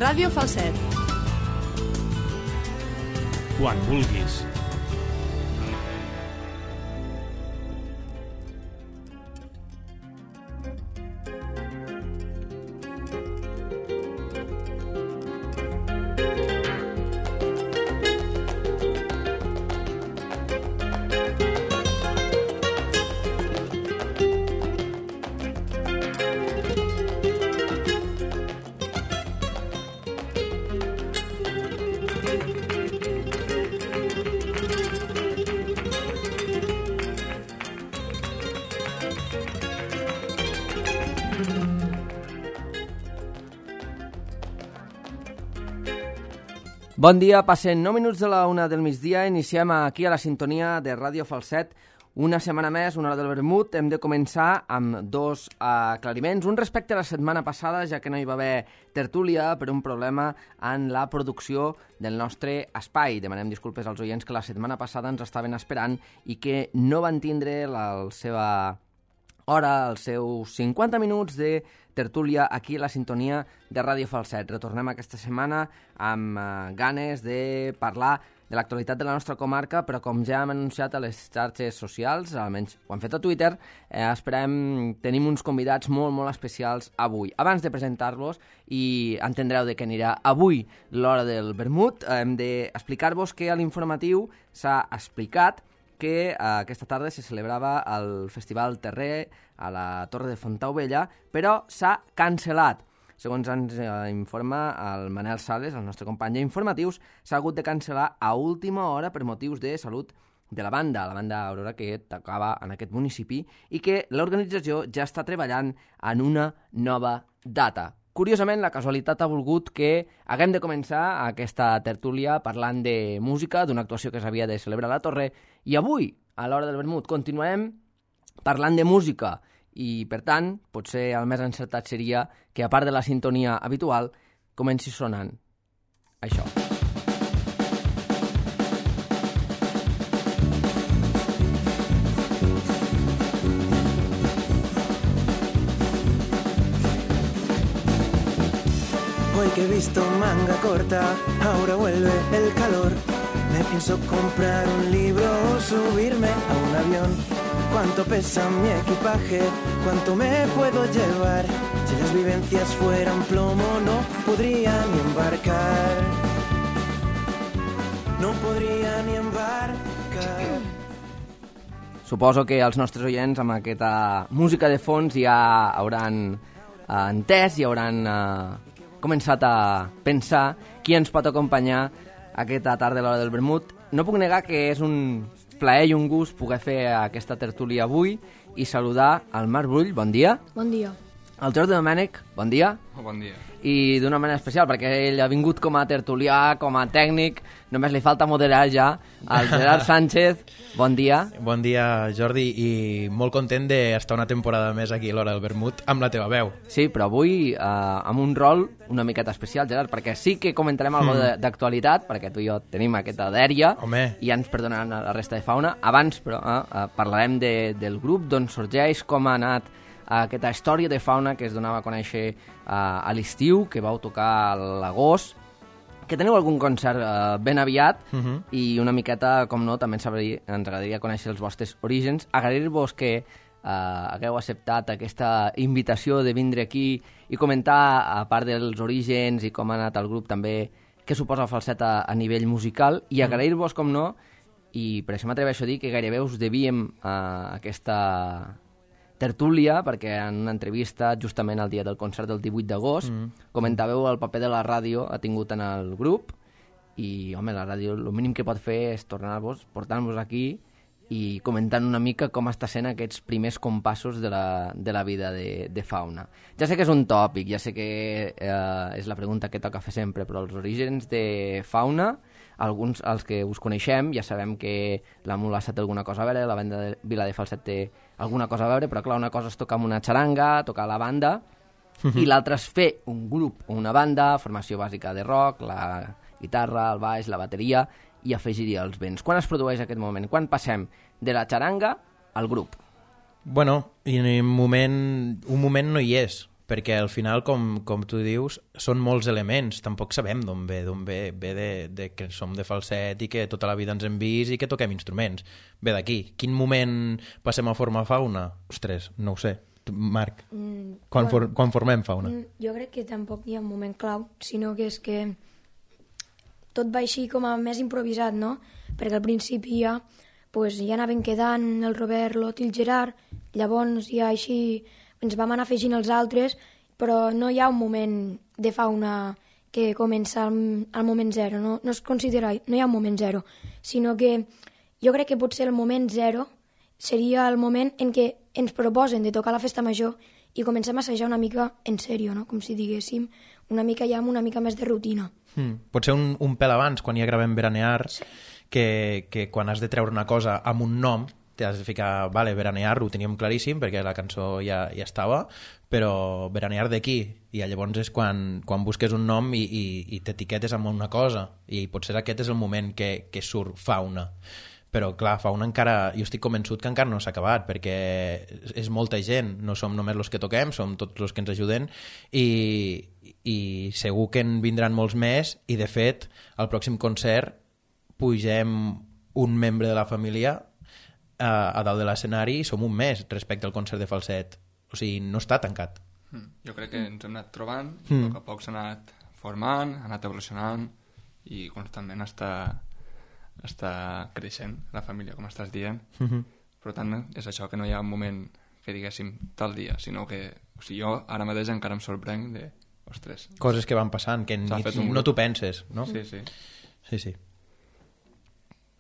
Ràdio Falset. Quan vulguis. Bon dia, passen 9 minuts de la 1 del migdia, iniciem aquí a la sintonia de Ràdio Falset. Una setmana més, una hora del vermut, hem de començar amb dos aclariments. Un respecte a la setmana passada, ja que no hi va haver tertúlia per un problema en la producció del nostre espai. Demanem disculpes als oients que la setmana passada ens estaven esperant i que no van tindre la seva hora, els seus 50 minuts de tertúlia aquí a la sintonia de Ràdio Falset. Retornem aquesta setmana amb ganes de parlar de l'actualitat de la nostra comarca, però com ja hem anunciat a les xarxes socials, almenys ho hem fet a Twitter, tenim uns convidats molt, molt especials avui. Abans de presentar-los, i entendreu de què anirà avui l'hora del vermut, hem d'explicar-vos que a l'informatiu s'ha explicat que aquesta tarda se celebrava el Festival Terrer a la Torre de Fontaubella, però s'ha cancel·lat. Segons ens informa el Manel Sales, el nostre company d'informatius, s'ha hagut de cancel·lar a última hora per motius de salut de la banda Aurora, que tocava en aquest municipi, i que l'organització ja està treballant en una nova data. Curiosament, la casualitat ha volgut que haguem de començar aquesta tertúlia parlant de música, d'una actuació que s'havia de celebrar a la Torre, i avui, a l'hora del vermut, continuem parlant de música, i, per tant, potser el més encertat seria que, a part de la sintonia habitual, comenci sonant això. Hoy que he visto manga corta, ahora vuelve el calor. Me pienso comprar un libro o subirme a un avión. ¿Cuánto pesa mi equipaje? ¿Cuánto me puedo llevar? Si las vivencias fueran plomo no podría ni embarcar. No podria ni embarcar. Suposo que els nostres oients amb aquesta música de fons ja hauran entès i hauran començat a pensar qui ens pot acompanyar aquesta tarda a l'hora del vermut. No puc negar que és un plaer i un gust poder fer aquesta tertúlia avui i saludar el Marc Brull, bon dia. Bon dia. El Jordi Domènech, bon dia. Bon dia. I d'una manera especial, perquè ell ha vingut com a tertulià, com a tècnic, només li falta moderar ja. El Gerard Sánchez, bon dia. Bon dia, Jordi, i molt content d'estar una temporada més aquí a l'hora del vermut amb la teva veu. Sí, però avui amb un rol una miqueta especial, Gerard, perquè sí que comentarem alguna d'actualitat, perquè tu i jo tenim aquesta dèria, i ja ens perdonaran la resta de fauna. Abans, però, parlarem del grup, d'on sorgeix, com ha anat aquesta història de fauna que es donava a conèixer a l'estiu, que vau tocar a l'agost, que teniu algun concert ben aviat, i una miqueta, com no, també ens agradaria conèixer els vostres orígens. Agrair-vos que hagueu acceptat aquesta invitació de vindre aquí i comentar, a part dels orígens i com ha anat el grup, també què suposa el falset a nivell musical, i agrair-vos, com no, i per això m'atreveixo a dir que gairebé us devíem aquesta tertúlia, perquè en una entrevista justament el dia del concert del 18 d'agost comentàveu el paper de la ràdio ha tingut en el grup, i home, la ràdio el mínim que pot fer és portar-vos aquí i comentant una mica com està sent aquests primers compassos de la vida de fauna. Ja sé que és un tòpic, ja sé que és la pregunta que toca fer sempre, però els orígens de fauna, alguns els que us coneixem ja sabem que la Mulassa té alguna cosa a veure, la banda de Vila de Falset té alguna cosa a veure, però clar, una cosa és tocar amb una xaranga, tocar la banda, i l'altra és fer un grup o una banda, formació bàsica de rock, la guitarra, el baix, la bateria, i afegir-hi els vents. Quan es produeix aquest moment? Quan passem de la xaranga al grup? Bueno, i un moment no hi és, perquè al final, com tu dius, són molts elements, tampoc sabem d'on ve de que som de falset i que tota la vida ens hem vist i que toquem instruments. Ve d'aquí. Quin moment passem a formar fauna? Ostres, no ho sé. Marc, quan formem fauna? Jo crec que tampoc hi ha un moment clau, sinó que és que tot va així com a més improvisat, no? Perquè al principi ja anaven quedant el Robert, l'Ot i el Gerard, llavors ja així ens vam anar afegint els altres, però no hi ha un moment de fauna que comença al moment zero, no es considera, no hi ha un moment zero, sinó que jo crec que potser el moment zero seria el moment en què ens proposen de tocar la festa major i comencem a assajar una mica en sèrio, no? Com si diguéssim, una mica ja amb una mica més de rutina. Pot ser un pèl abans, quan ja gravem Veranear, que quan has de treure una cosa amb un nom, t'has de ficar, vale, Veranear, ho teníem claríssim, perquè la cançó ja estava, però Veranear d'aquí, i llavors és quan busques un nom i t'etiquetes amb una cosa, i potser aquest és el moment que surt fauna. Però, clar, fauna encara... Jo estic convençut que encara no s'ha acabat, perquè és molta gent, no som només els que toquem, som tots els que ens ajuden, i segur que en vindran molts més, i de fet, al pròxim concert pugem un membre de la família a dalt de l'escenari i som un més respecte al concert de falset. O sigui, no està tancat. Jo crec que ens hem anat trobant, a poc a poc s'ha anat formant, ha anat evolucionant i constantment està creixent la família, com estàs dient. Per tant, és això, que no hi ha un moment que diguéssim tal dia, sinó que o sigui, jo ara mateix encara em sorprenc de... Ostres. Coses que van passant, que no t'ho penses, no? Sí.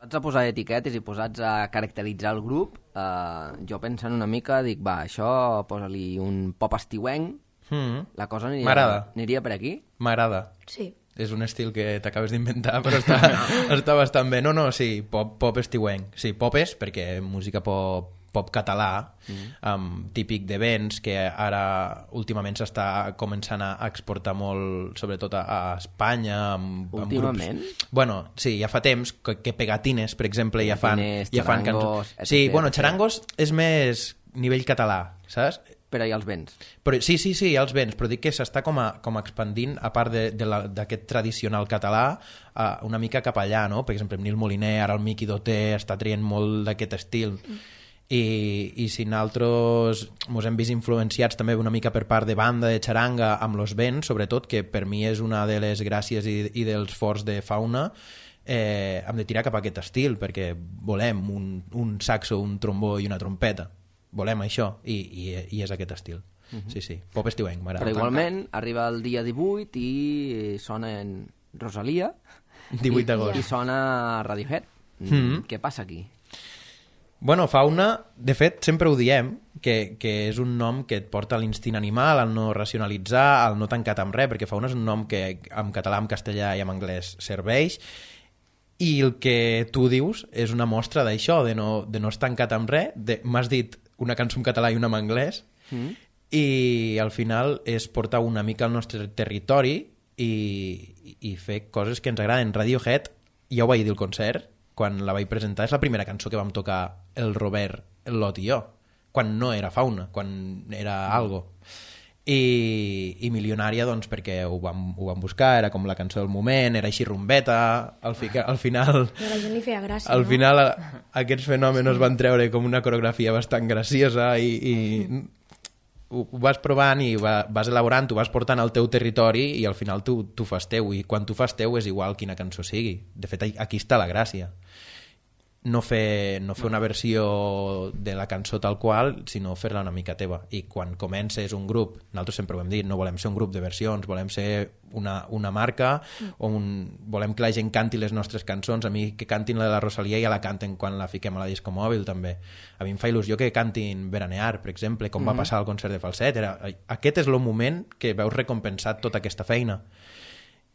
Posats a posar etiquetes i posats a caracteritzar el grup, jo pensant una mica, dic, va, això posa-li un pop estiuenc, la cosa aniria per aquí? M'agrada. Sí. És un estil que t'acabes d'inventar, però està bastant bé. No, sí, pop estiuenc. Sí, pop és perquè música pop català, típic de vents, que ara últimament s'està començant a exportar molt, sobretot a Espanya. Últimament? Bueno, sí, ja fa temps que Pegatines, per exemple, ja fan Charangos... Sí, bueno, Charangos és més nivell català, saps? Però hi ha els vents. Sí, hi ha els vents, però dic que s'està com a expandint, a part d'aquest tradicional català, una mica cap allà, no? Per exemple, Nil Moliner, ara el Miqui Doté està traient molt d'aquest estil. I si nosaltres ens hem vist influenciats també una mica per part de banda, de xaranga, amb los vents, sobretot, que per mi és una de les gràcies i dels forts de fauna, hem de tirar cap a aquest estil, perquè volem un saxo, un trombó i una trompeta. Volem això, i és aquest estil. Sí, pop estiuenc, m'agrada. Però igualment, arriba el dia 18 i sona en Rosalia 18 d'agost. I sona Radiohead. Què passa aquí? Bueno, fauna, de fet, sempre ho diem, que és un nom que et porta a l'instint animal, al no racionalitzar, al no tancat amb res, perquè fauna és un nom que en català, en castellà i en anglès serveix, i el que tu dius és una mostra d'això, de no estar tancat amb res. M'has dit una cançó en català i una en anglès, i al final és portar una mica al nostre territori i fer coses que ens agraden. Radiohead, ja ho vaig dir al concert, quan la vaig presentar, és la primera cançó que vam tocar el Robert, el Lot i jo, quan no era fauna, quan era algo. I Milionària, doncs, perquè ho vam buscar, era com la cançó del moment, era així rumbeta, al final... Però a la gent li feia gràcia, al final aquests fenòmenos van treure com una coreografia bastant graciosa i ho vas provant i vas elaborant, tu vas portant al teu territori i al final tu fas teu, i quan tu fas teu és igual quina cançó sigui. De fet, aquí està la gràcia. No fer una versió de la cançó tal qual, sinó fer-la una mica teva. I quan comences un grup, nosaltres sempre ho hem dit, no volem ser un grup de versions, volem ser una marca, volem que la gent canti les nostres cançons. A mi que cantin la de la Rosalia ja la canten quan la fiquem a la disco mòbil també. A mi em fa il·lusió que cantin Veranear, per exemple, com va passar al concert de falset. Aquest és el moment que veus recompensat tota aquesta feina.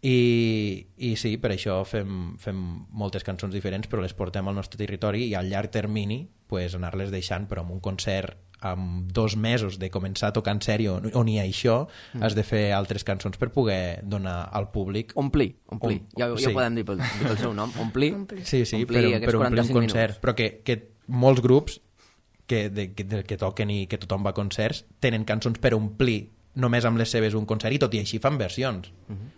I sí, per això fem moltes cançons diferents, però les portem al nostre territori i al llarg termini anar-les deixant, però amb un concert amb 2 mesos de començar a tocar en sèrio, on hi ha això, has de fer altres cançons per poder donar al públic... Omplir. Ja podem dir pel seu nom, omplir. Sí, per omplir un concert. Però que molts grups que toquen i que tothom va a concerts tenen cançons per omplir només amb les seves un concert, i tot i així fan versions,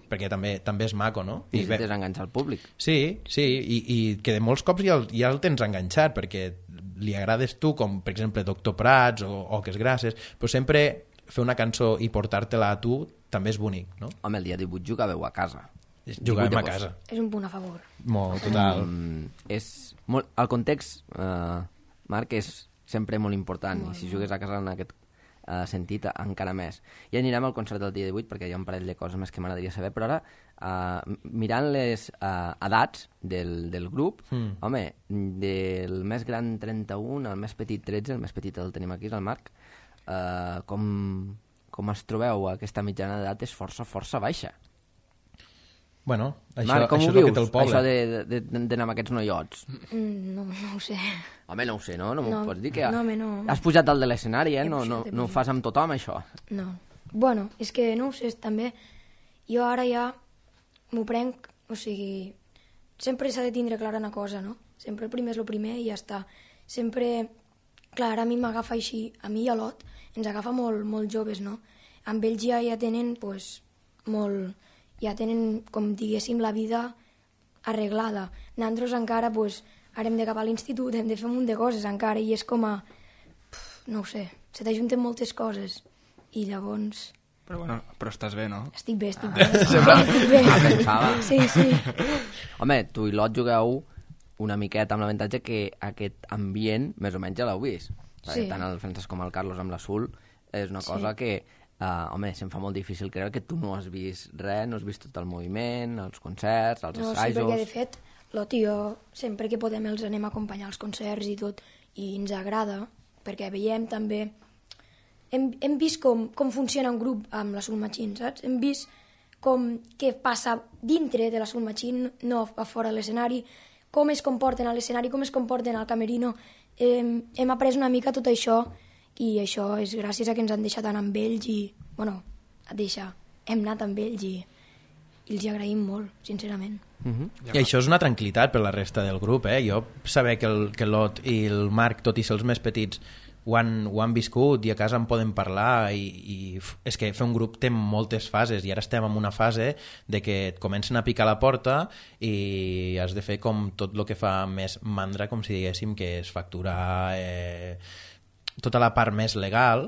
perquè també és maco, no? I necessites enganxar el públic. Sí, i que de molts cops ja el tens enganxat, perquè li agrades tu, com per exemple Doctor Prats o Que es gràcies, però sempre fer una cançó i portar-te-la a tu també és bonic, no? Home, el dia 18 jugàveu a casa. Jugàvem a casa. És un punt a favor. Molt, total. El context, Marc, és sempre molt important, i si jugues a casa en aquest sentit encara més. Ja anirem al concert del dia 18 perquè hi ha un parell de coses més que m'agradaria saber, però ara, mirant les edats del grup, home, del més gran 31 al més petit 13, el més petit el tenim aquí, és el Marc, com es trobeu? Aquesta mitjana d'edat és força baixa. Bueno, Marc, com això ho és el vius, que té el poble. això d'anar amb aquests noiots? No ho sé. Home, no ho sé, no? No m'ho pots dir que no, home, no. Has pujat dalt de l'escenari, He No pujat. ho fas amb tothom, això? No. Bueno, és que no ho sé, també jo ara ja m'ho prenc, o sigui, sempre s'ha de tindre clara una cosa, no? Sempre el primer és el primer i ja està. Sempre, clar, ara a mi m'agafa així, a mi i a l'Ot, ens agafa molt joves, no? Amb ells ja tenen, pues, ja tenen, com diguéssim, la vida arreglada. Nosaltres encara, pues, ara hem de cap a l'institut, hem de fer un munt de coses encara, i és com a... no ho sé, se t'ajunten moltes coses, i llavors... Però estàs bé, no? Estic bé. Estic bé. Pensava. Sí. Home, tu i l'Ot jugueu una miqueta amb l'avantatge que aquest ambient més o menys ja l'heu vist. Perquè tant el Francesc com el Carlos amb l'Azul és una cosa que, home, se'm fa molt difícil creure que tu no has vist res, no has vist tot el moviment, els concerts, els assajos... Sí, perquè de fet, l'Ot i jo, sempre que podem els anem a acompanyar als concerts i tot, i ens agrada, perquè veiem també... Hem vist com funciona un grup amb la Soul Machine, saps? Hem vist què passa dintre de la Soul Machine, no a fora de l'escenari, com es comporten a l'escenari, com es comporten al camerino. Hem après una mica tot això, i això és gràcies a que ens han deixat anar amb ells i, bueno, hem anat amb ells i els hi agraïm molt, sincerament. I això és una tranquil·litat per la resta del grup, eh? Jo saber que l'Ot i el Marc, tot i ser els més petits, ho han viscut i a casa en poden parlar i és que fer un grup té moltes fases i ara estem en una fase de que et comencen a picar la porta i has de fer com tot el que fa més mandra, com si diguéssim, que és facturar tota la part més legal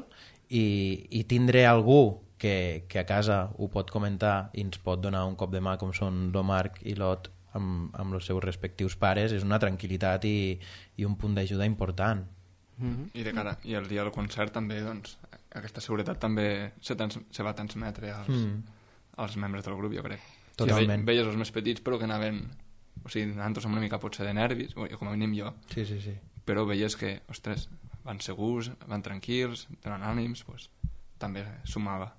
i tindre algú que a casa ho pot comentar i ens pot donar un cop de mà com són el Marc i l'Ot amb els seus respectius pares és una tranquil·litat i un punt d'ajuda important. I i el dia del concert també, doncs, aquesta seguretat també se va transmetre als membres del grup, jo crec. Totalment. Veies els més petits, però que anaven... O sigui, nosaltres amb una mica potser de nervis, com a mínim jo. Sí. Però veies que, ostres, van segurs, van tranquils, donen ànims, doncs també sumava.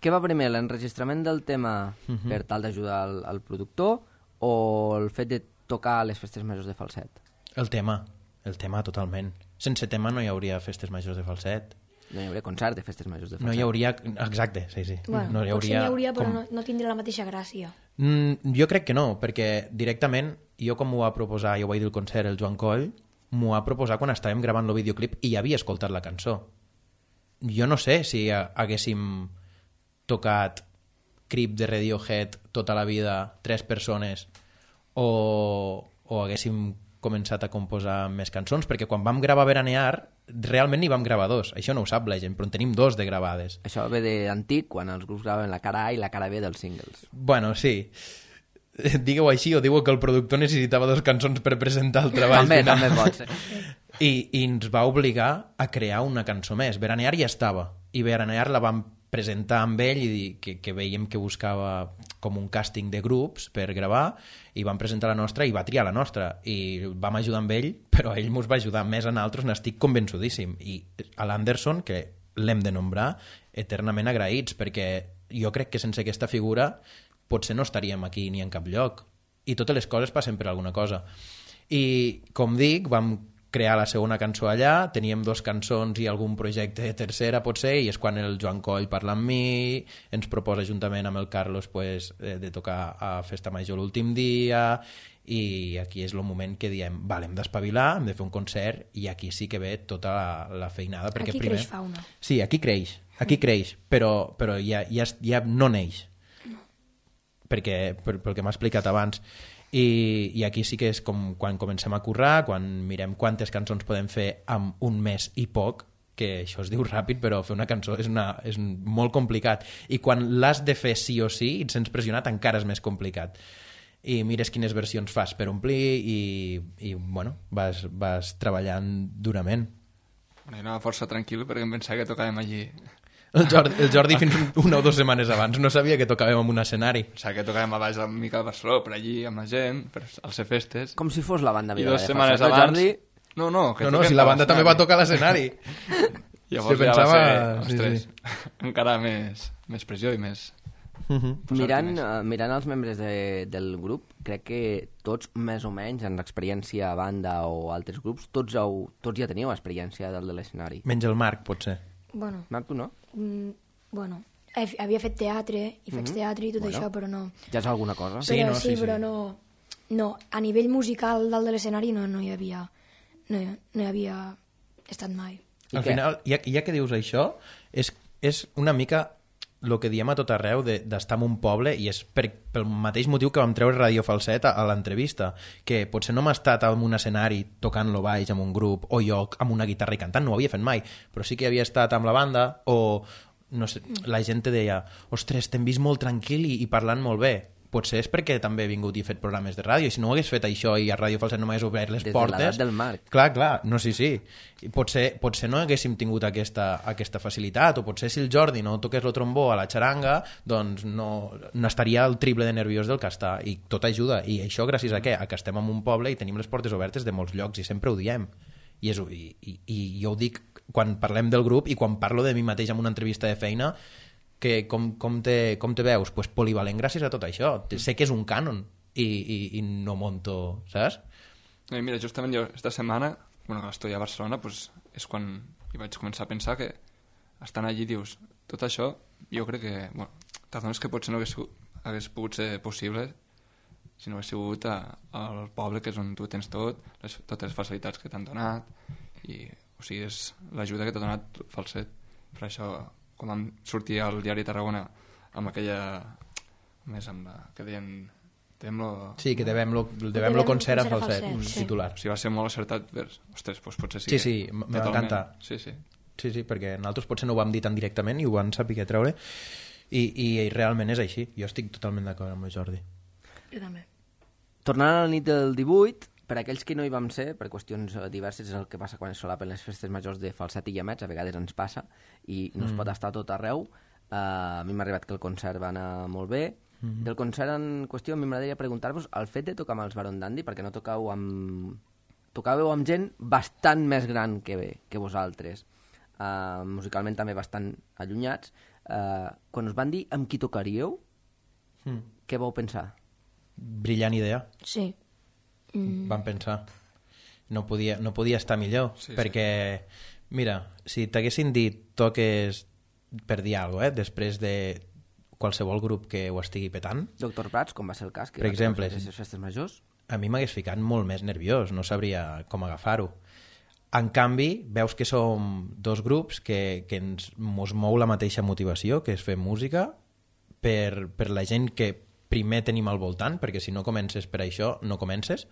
Què va primer, l'enregistrament del tema per tal d'ajudar al productor o el fet de tocar a les festes majors de Falset? El tema totalment. Sense tema no hi hauria festes majors de Falset. No hi hauria concert de festes majors de Falset. No hi hauria... Exacte, sí. Bueno, no hi potser n'hi hauria, però com... no tindria la mateixa gràcia. Jo crec que no, perquè directament, jo com m'ho va proposar, jo vaig dir el concert, el Joan Coll, m'ho va proposar quan estàvem gravant el videoclip i ja havia escoltat la cançó. Jo no sé si haguéssim tocat Creep de Radiohead tota la vida, 3 persones, o haguéssim començat a composar més cançons, perquè quan vam gravar Veranear realment n'hi vam gravar 2, això no ho sap la gent, però en tenim 2 de gravades. Això ve d'antic, quan els grups gravaven la cara A i la cara B dels singles. Bueno, sí, digueu així o diuen que el productor necessitava 2 cançons per presentar el treball final. També pot ser. I ens va obligar a crear una cançó més. Veranear ja estava, i Veranear la vam presentar amb ell i dir que veiem que buscava com un càsting de grups per gravar i vam presentar la nostra i va triar la nostra i vam ajudar amb ell, però ell ens va ajudar més a nosaltres, n'estic convençudíssim, i a l'Anderson, que l'hem de nombrar, eternament agraïts, perquè jo crec que sense aquesta figura potser no estaríem aquí ni en cap lloc, i totes les coses passen per alguna cosa. I com dic, vam crear la segona cançó allà, teníem 2 cançons i algun projecte de tercera potser, i és quan el Joan Coll parla amb mi, ens proposa juntament amb el Carlos pues, de tocar a Festa Major l'últim dia, i aquí és el moment que diem, vale, hem d'espavilar, hem de fer un concert, i aquí sí que ve tota la feinada. Perquè aquí primer... creix fauna. Sí, aquí creix. Aquí creix, però ja no neix. Perquè, pel que m'ha explicat abans. I aquí sí que és com quan comencem a currar, quan mirem quantes cançons podem fer amb un mes i poc, que això es diu ràpid, però fer una cançó és molt complicat. I quan l'has de fer sí o sí, i et sents pressionat, encara és més complicat. I mires quines versions fas per omplir i bueno, vas treballant durament. Jo anava força tranquil perquè em pensava que tocàvem allí. El Jordi fins una o 2 setmanes abans no sabia que tocàvem en un escenari. Pensava que tocàvem a baix del Miquel Barceló, per allí, amb la gent, per als festes. Com si fos la banda I viva. 2 setmanes abans... Jordi... No, si la banda també va tocar a l'escenari. Llavors ja va ser, ostres, encara més pressió i més... Mirant els membres del grup, crec que tots, més o menys, en l'experiència a banda o altres grups, tots ja teníeu experiència de l'escenari. Menys el Marc, potser. Bueno. Marc, tu no? Bueno, havia fet teatre i faig teatre i tot això, però no... Ja és alguna cosa. Sí, però no. A nivell musical dalt de l'escenari no hi havia estat mai. Al final, ja que dius això, és una mica el que diem a tot arreu d'estar en un poble, i és pel mateix motiu que vam treure Radio Falset a l'entrevista, que potser no m'ha estat en un escenari tocant-lo baix amb un grup, o jo amb una guitarra i cantant, no ho havia fet mai, però sí que havia estat amb la banda, o no sé, la gent te deia, ostres, t'hem vist molt tranquil i parlant molt bé. Potser és perquè també he vingut i he fet programes de ràdio, i si no ho hagués fet això i a Ràdio Falset no m'hagués obert les portes... Des de l'edat del Marc. Clar, no, sí. I potser no haguéssim tingut aquesta facilitat, o potser si el Jordi no toqués el trombó a la xaranga, doncs no estaria el triple de nerviós del que està, i tot ajuda. I això gràcies a què? A que estem en un poble i tenim les portes obertes de molts llocs, i sempre ho diem. I jo ho dic quan parlem del grup i quan parlo de mi mateix en una entrevista de feina, que com te veus? Pues polivalent gràcies a tot això. Sé que és un cànon i no monto, saps? Mira, justament jo esta setmana, que l'estoia a Barcelona, pues, és quan hi vaig començar a pensar que estant allí dius, tot això jo crec que t'adones que potser no hagués pogut ser possible si no hagués sigut al poble, que és on tu tens totes les facilitats que t'han donat, i o sigui, és l'ajuda que t'ha donat Falset. Per això, quan vam sortir al diari Tarragona amb aquella... més amb la... que deien... Sí, que devem-lo concert a Falset, titular. O sigui, va ser molt acertat. Ostres, doncs potser sí. Sí, m'encanta. Sí, perquè nosaltres potser no ho vam dir tan directament i ho van saber treure, i realment és així. Jo estic totalment d'acord amb el Jordi. Jo també. Tornant a la nit del 18, per aquells que no hi vam ser, per qüestions diverses, és el que passa quan es solapen les festes majors de Falset i Llamets, a vegades ens passa, i no es pot estar tot arreu. A mi m'ha arribat que el concert va anar molt bé. Del concert en qüestió, a mi m'agradaria preguntar-vos el fet de tocar amb els Baron Dandy, perquè no tocàveu amb gent bastant més gran que vosaltres, musicalment també bastant allunyats. Quan us van dir amb qui tocaríeu, què vau pensar? Brillant idea. Sí. Vam pensar. No podia estar millor, perquè, mira, si t'haguessin dit toques per dir alguna cosa, després de qualsevol grup que ho estigui petant... Dr. Prats, com va ser el cas, que per exemple, les festes majors? A mi m'hagués ficat molt més nerviós, no sabria com agafar-ho. En canvi, veus que som dos grups que ens mou la mateixa motivació, que és fer música per la gent que primer tenim al voltant, perquè si no comences per això, no comences,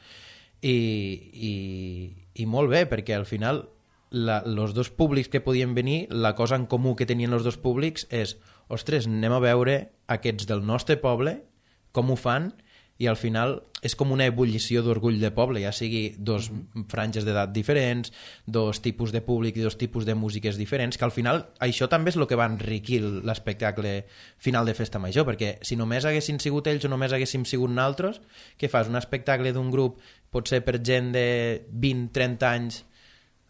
i molt bé, perquè al final els dos públics que podien venir, la cosa en comú que tenien els dos públics és, ostres, anem a veure aquests del nostre poble, com ho fan, i al final és com una ebullició d'orgull de poble, ja sigui dos franges d'edat diferents, dos tipus de públic i dos tipus de músiques diferents, que al final això també és el que va enriquir l'espectacle final de Festa Major, perquè si només haguessin sigut ells o només haguéssim sigut nosaltres, què fas? Un espectacle d'un grup potser per gent de 20-30 anys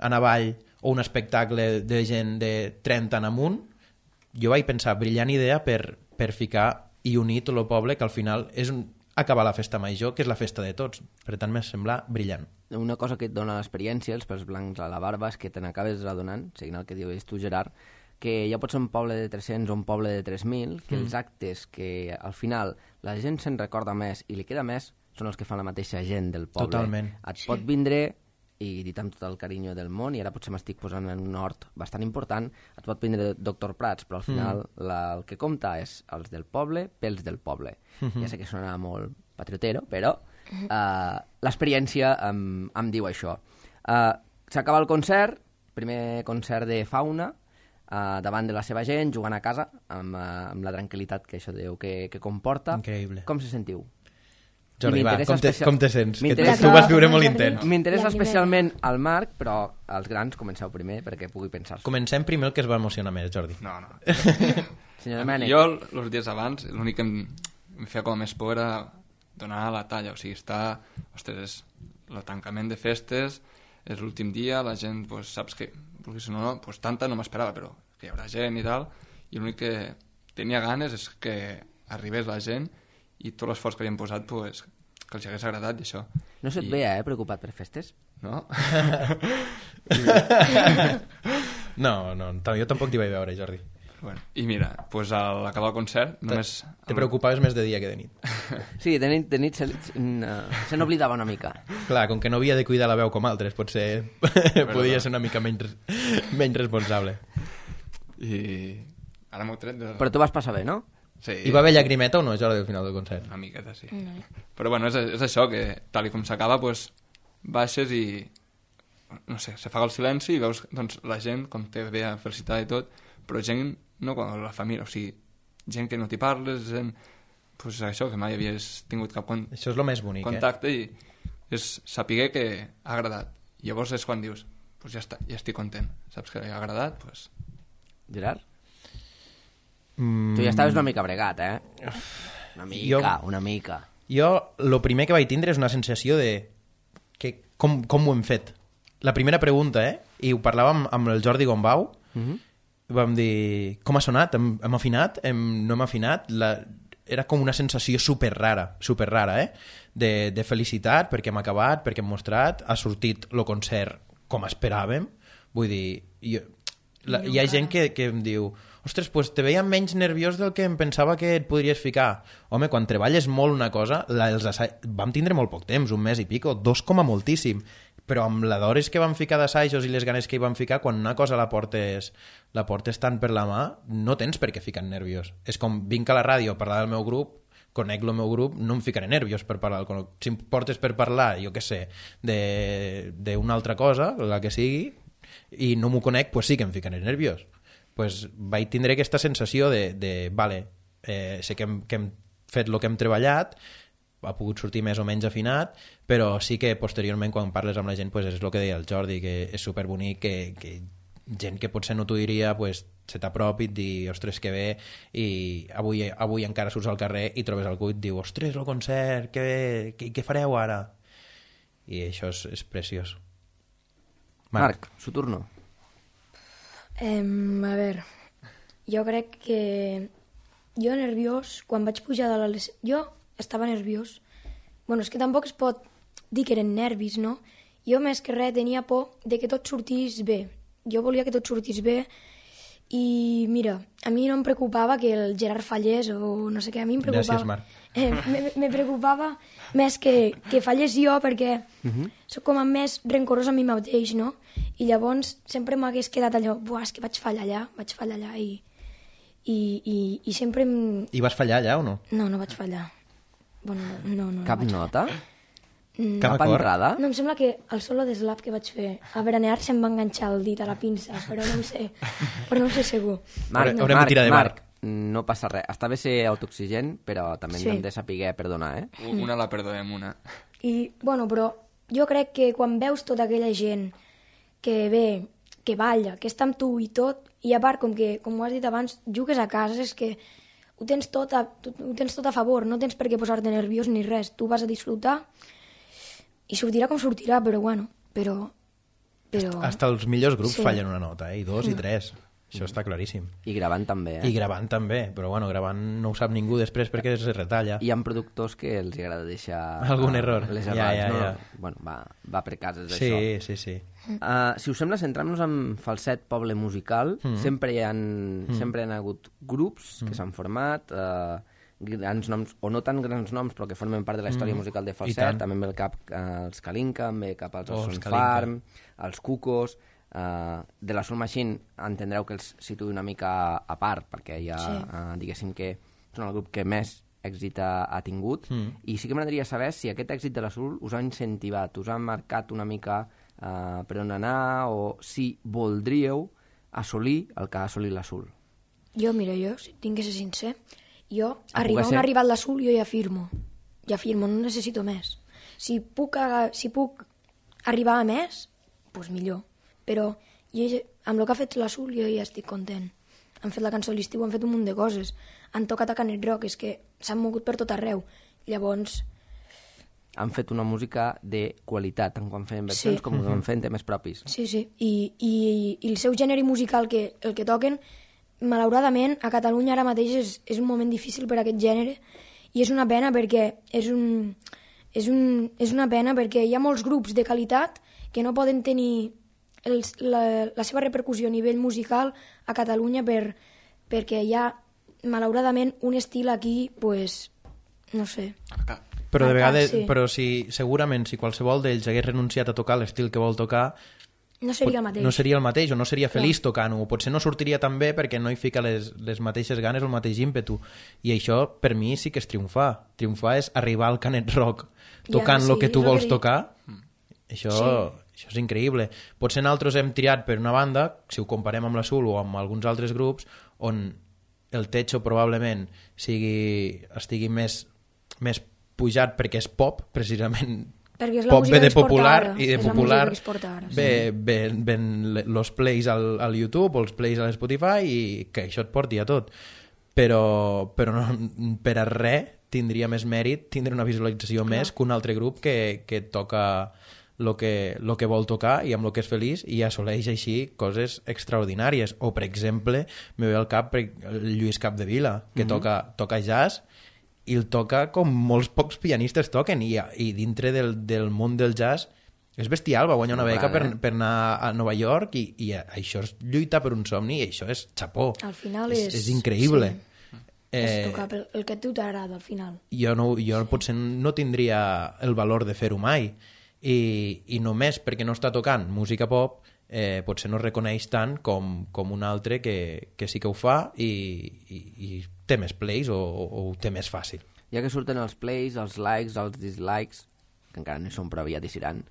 en avall, o un espectacle de gent de 30 en amunt. Jo vaig pensar, brillant idea per ficar i unir tot el poble, que al final és acabar la Festa Major, que és la festa de tots. Per tant, m'ha semblat brillant. Una cosa que et dona l'experiència, els pèls blancs a la barba, és que te n'acabes adonant, seguint el que dius tu, Gerard, que ja pot ser un poble de 300 o un poble de 3.000, que els actes que al final la gent se'n recorda més i li queda més són els que fan la mateixa gent del poble. Totalment. Et pot vindre i dit amb tot el carinyo del món, i ara potser m'estic posant en un hort bastant important, et pot prendre Doctor Prats, però al final el que compta és els del poble pels del poble. Ja sé que sona molt patriotero, però l'experiència em diu això. S'acaba el concert, primer concert de Fauna, davant de la seva gent, jugant a casa, amb la tranquil·litat que això diu que comporta. Increïble. Com se sentiu? Jordi, va, com te sents? Que M'interessa- tu vas viure molt intens. M'interessa especialment el Marc, però els grans comenceu primer perquè pugui pensar-s'ho. Comencem primer el que es va emocionar més, Jordi. No. Senyor Domènech. Jo, els dies abans, l'únic que em feia com a més por era donar la talla. O sigui, ostres, el tancament de festes, és l'últim dia, la gent, pues, saps que, vulguis o no, pues, tanta no m'esperava, però que hi haurà gent i tal, i l'únic que tenia ganes és que arribés la gent i tot l'esforç que havien posat, pues, que els hagués agradat i això. No se't veia, preocupat per festes? No? No, jo tampoc t'hi vaig veure, Jordi. Bueno, i mira, pues, a l'acabar el concert només... Te preocupaves més de dia que de nit. Sí, de nit se n'oblidava una mica. Clar, com que no havia de cuidar la veu com altres, potser podia ser una mica menys responsable. I ara m'ho tret de... Però tu vas passar bé, no? Sí, Hi va haver llagrimeta o no, Jordi, al final del concert? una miqueta, sí. Però bueno, és això, que tal i com s'acaba, pues, baixes i no sé, se fa el silenci i veus doncs, la gent com te ve a felicitar i tot, però gent, no com la família, o sigui, gent que no t'hi parles, gent, pues, això, que mai havies tingut cap Això és el més bonic, contacte i és saber que ha agradat. Llavors és quan dius, pues ja està, ja estic content, saps que ha agradat, pues... Gerard? Tu ja estaves una mica bregat, eh? Una mica. Jo, el primer que vaig tindre és una sensació de com ho hem fet. La primera pregunta, i ho parlàvem amb el Jordi Gombau, vam dir, com ha sonat? Hem afinat? No hem afinat? Era com una sensació super rara, de felicitat, perquè hem acabat, perquè hem mostrat, ha sortit el concert com esperàvem, vull dir, hi ha gent que em diu, ostres, pues te veia menys nerviós del que em pensava que et podries ficar. Home, quan treballes molt una cosa, vam tindre molt poc temps, un mes i pico, 2 com a moltíssim, però amb la d'hores que vam ficar d'assajos i les ganes que hi vam ficar, quan una cosa la portes tant per la mà, no tens per què ficar nerviós. És com, vinc a la ràdio a parlar del meu grup, conec el meu grup, no em ficaré nerviós per parlar. Si em portes per parlar, jo què sé, d'una altra cosa, la que sigui, i no m'ho conec, pues sí que em ficaré nerviós. Pues vaig tindre aquesta sensació vale, sé que hem fet el que hem treballat, ha pogut sortir més o menys afinat, però sí que posteriorment quan parles amb la gent pues és el que deia el Jordi, que és superbonic que gent que potser no t'ho diria pues, se t'apropi i et dir, ostres, que bé, i avui encara surts al carrer i trobes algú i et diu, ostres, el concert, que bé, què fareu ara? I això és preciós. Marc, su turno. A veure, jo crec que jo nerviós, quan vaig pujar de l'escenari, jo estava nerviós. Bueno, és que tampoc es pot dir que eren nervis, no? Jo més que res tenia por de que tot sortís bé. Jo volia que tot sortís bé i mira, a mi no em preocupava que el Gerard fallés o no sé què, a mi em preocupava... Gràcies, Marc. Me preocupava més que fallés jo perquè soc com a més rencorós a mi mateix, no? I llavors sempre m'hagués quedat allò, buah, és que vaig fallar allà i sempre... I vas fallar allà o no? No, no vaig fallar. Bueno, no Cap vaig nota? Cap Cap acord? entrada? No, em sembla que el solo de slap que vaig fer a Beranear se'm va enganxar el dit a la pinça, però no ho sé segur. Haurem de tirar de Marc, no passa res. Està bé ser autoexigent, però també Sí. hem de saber perdonar, eh? Una la perdonem, una. I, bueno, però jo crec que quan veus tota aquella gent que ve, que balla, que està amb tu i tot, i a part, com ho has dit abans, jugues a casa, és que ho tens tot a favor, no tens per què posar-te nerviós ni res, tu vas a disfrutar i sortirà com sortirà, però bueno, però... Hasta els millors grups Sí. fallen una nota, i 2 i 3. Això està claríssim. I gravant també, eh? I gravant també, però bueno, gravant no ho sap ningú després perquè es retalla. Hi ha productors que els agrada deixar... Algun error. Les Ja, errats, ja, no? ja. Bueno, va per cases, Sí, això. sí, sí. Si us sembla, centrem-nos en Falset Poble Musical. Sempre hi han hagut grups que s'han format, grans noms, o no tan grans noms, però que formen part de la història musical de Falset. També em ve el cap els Kalinka, em ve cap als Son Farm, els Cucos. De la Soul Machine entendreu que els situï una mica a part, perquè ja diguéssim que són el grup que més èxit ha tingut, i sí que m'agradaria saber si aquest èxit de la Soul us ha incentivat, us ha marcat una mica per on anar, o si voldríeu assolir el que ha assolit la Soul. Jo, si tinc que ser sincer, arribar on ha arribat la Soul, jo ja firmo, no necessito més. Si puc arribar a més, doncs millor. Però amb el que ha fet la Soul jo ja estic content. Han fet la cançó a l'estiu, han fet un munt de coses. Han tocat a Canet Rock, és que s'han mogut per tot arreu. Llavors... Han fet una música de qualitat, tant quan feien versions com quan feien temes propis. Sí. I el seu gènere musical, el que toquen, malauradament, a Catalunya ara mateix és un moment difícil per a aquest gènere, i és una pena perquè hi ha molts grups de qualitat que no poden tenir la seva repercussió a nivell musical a Catalunya perquè hi ha, malauradament, un estil aquí, pues, no sé. Però de vegades, segurament, si qualsevol d'ells hagués renunciat a tocar l'estil que vol tocar, no seria el mateix. No seria el mateix, o no seria feliç tocant-ho, o potser no sortiria tan bé perquè no hi fica les mateixes ganes o el mateix ímpetu. I això, per mi, sí que és triomfar. Triomfar és arribar al Canet Rock tocant el que tu vols tocar. Això és increïble. Potser nosaltres hem tirat per una banda, si ho comparem amb la Soul o amb alguns altres grups, on el techo probablement estigui més pujat perquè és pop, precisament. Perquè és la música que es porta ara. I de popular ven els plays al YouTube o els plays a l'Spotify i que això et porti a tot. Però no, per a res tindria més mèrit tindre una visualització més que un altre grup que toca el que vol tocar i amb el que és feliç i assoleix així coses extraordinàries. O, per exemple, me ve al cap el Lluís Capdevila, que toca jazz i el toca com molts pocs pianistes toquen, i dintre del món del jazz és bestial. Va guanyar una beca per anar a Nova York i això és lluitar per un somni, i això és xapó. Al final és increïble. És tocar el que a tu t'agrada, al final. Jo potser no tindria el valor de fer-ho mai, i només perquè no està tocant música pop potser no es reconeix tant com un altre que sí que ho fa i té més plays o ho té més fàcil. Ja que surten els plays, els likes, els dislikes, que encara no hi són però aviat hi seran,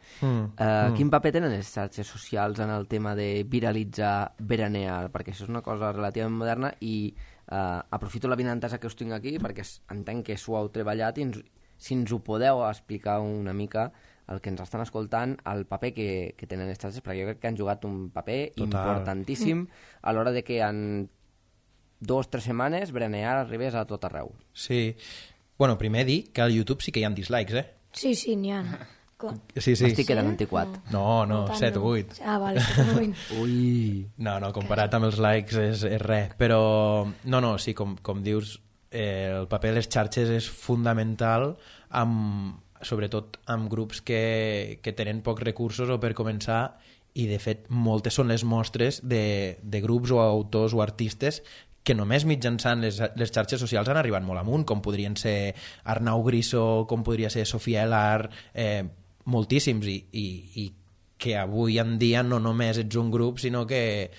quin paper tenen les xarxes socials en el tema de viralitzar, veranear? Perquè això és una cosa relativament moderna i aprofito la vinentesa que us tinc aquí perquè entenc que s'ho heu treballat i si ens ho podeu explicar una mica el que ens estan escoltant, el paper que tenen les xarxes, perquè jo crec que han jugat un paper importantíssim a l'hora de que en 2 o 3 setmanes Veranear arribés a tot arreu. Sí. Bueno, primer dir que al YouTube sí que hi ha dislikes, Sí, n'hi ha. Sí. M'estic quedant antiquat. No, 7 o 8. Ah, vale, 7 o 8. Ui. No, comparat amb els likes és res. Però, sí, com dius, el paper de les xarxes és fundamental sobretot amb grups que tenen pocs recursos o per començar, i de fet moltes són les mostres de grups o autors o artistes que només mitjançant les xarxes socials han arribat molt amunt, com podrien ser Arnau Griso, com podria ser Sofia Elar, moltíssims, i que avui en dia no només ets un grup, sinó que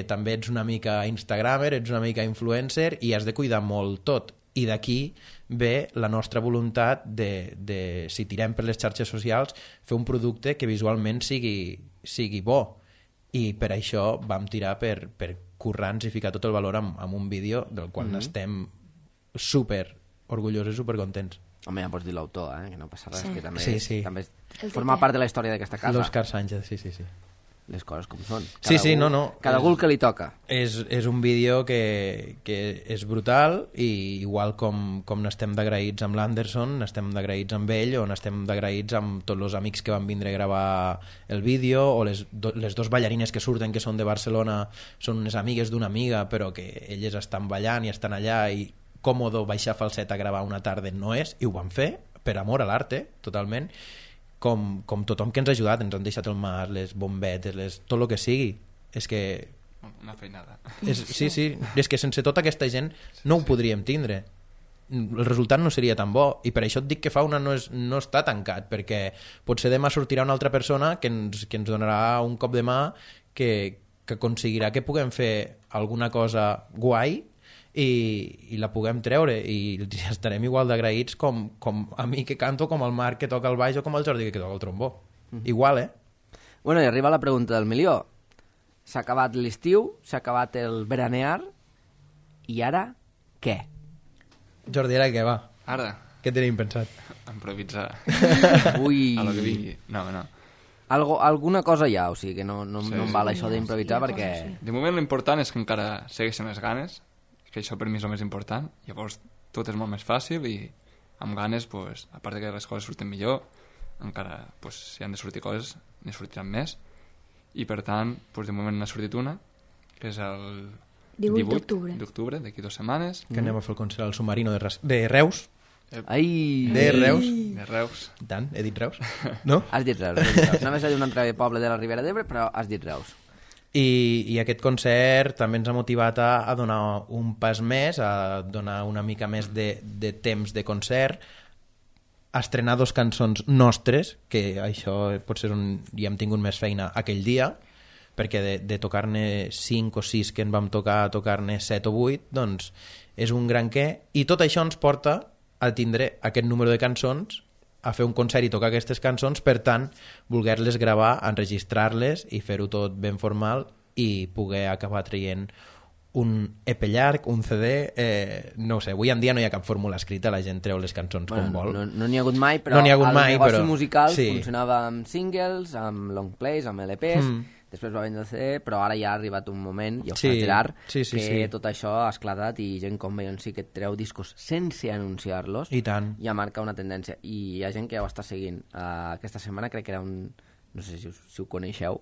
també ets una mica instagramer, ets una mica influencer i has de cuidar molt tot. I d'aquí ve la nostra voluntat de si tirem per les xarxes socials, fer un producte que visualment sigui bo. I per això vam tirar per currar-nos i ficar tot el valor en un vídeo del qual estem super orgullosos i super contents. Home, ja pots dir l'autor, que no passa res, que també, també forma part de la història d'aquesta casa. L'Òscar Sánchez, sí. Les coses com són. Cada algú el que li toca. És un vídeo que és brutal, i igual com n'estem d'agraïts amb l'Anderson, n'estem d'agraïts amb ell, o n'estem d'agraïts amb tots els amics que van vindre a gravar el vídeo, o les 2 ballarines que surten, que són de Barcelona, són unes amigues d'una amiga, però que elles estan ballant i estan allà, i còmodo baixar Falset a gravar una tarda no és, i ho van fer per amor a l'arte, totalment. Com tothom que ens ha ajudat, ens han deixat el mar, les bombetes, tot el que sigui. És que... Una feinada. Sí, és que sense tota aquesta gent no ho podríem tindre. el resultat no seria tan bo, i per això et dic que Fauna no està tancat, perquè potser demà sortirà una altra persona que ens donarà un cop de mà que aconseguirà que puguem fer alguna cosa guai i la puguem treure, i estarem igual d'agraïts com a mi que canto, com el Marc que toca el baix o com el Jordi que toca el trombó. Igual, Bueno, i arriba la pregunta del milió. S'ha acabat l'estiu, s'ha acabat el veranear, i ara què? Jordi, ara què va? Ara, Què tenim pensat? improvisar. Ui... A lo que vingui. No. Alguna cosa hi ha, o sigui que no Sí, em sí. val això d'improvisar Sí, hi ha perquè... coses, sí. De moment l'important és que encara segueixen les ganes, que això per mi és el més important. Llavors tot és molt més fàcil i amb ganes, pues, a part que les coses surten millor, encara, pues, si han de sortir coses, ne sortiran més. I per tant, pues, de moment n'ha sortit una, que és el 18 d'octubre, d'aquí 2 setmanes. Que anem a fer el concert al Submarino de Reus. Ai... De Reus. De Reus. I tant, he dit Reus. No? Has dit Reus. Anaves a dir un altre poble de la Ribera d'Ebre, però has dit Reus. I aquest concert també ens ha motivat a donar un pas més, a donar una mica més de temps de concert, a estrenar 2 cançons nostres, que això potser hi hem tingut més feina aquell dia, perquè de tocar-ne 5 o 6 que en vam tocar a tocar-ne 7 o 8, doncs és un gran què, i tot això ens porta a tindre aquest número de cançons, a fer un concert i tocar aquestes cançons, per tant, voler-les gravar, enregistrar-les i fer-ho tot ben formal i poder acabar traient un EP llarg, un CD, no ho sé, avui en dia no hi ha cap fórmula escrita, la gent treu les cançons com vol. No n'hi ha hagut mai, però No n'hi ha hagut el mai, negoci però- musical sí. funcionava amb singles, amb long plays, amb LPs, després va vendre el CD, però ara ja ha arribat un moment, ja ho Sí, saps, Gerard, sí, que tot això ha esclatat i gent com Beyoncé que treu discos sense anunciar-los I tant. ja marca una tendència. I hi ha gent que ja ho està seguint. Aquesta setmana crec que era un... no sé si ho coneixeu,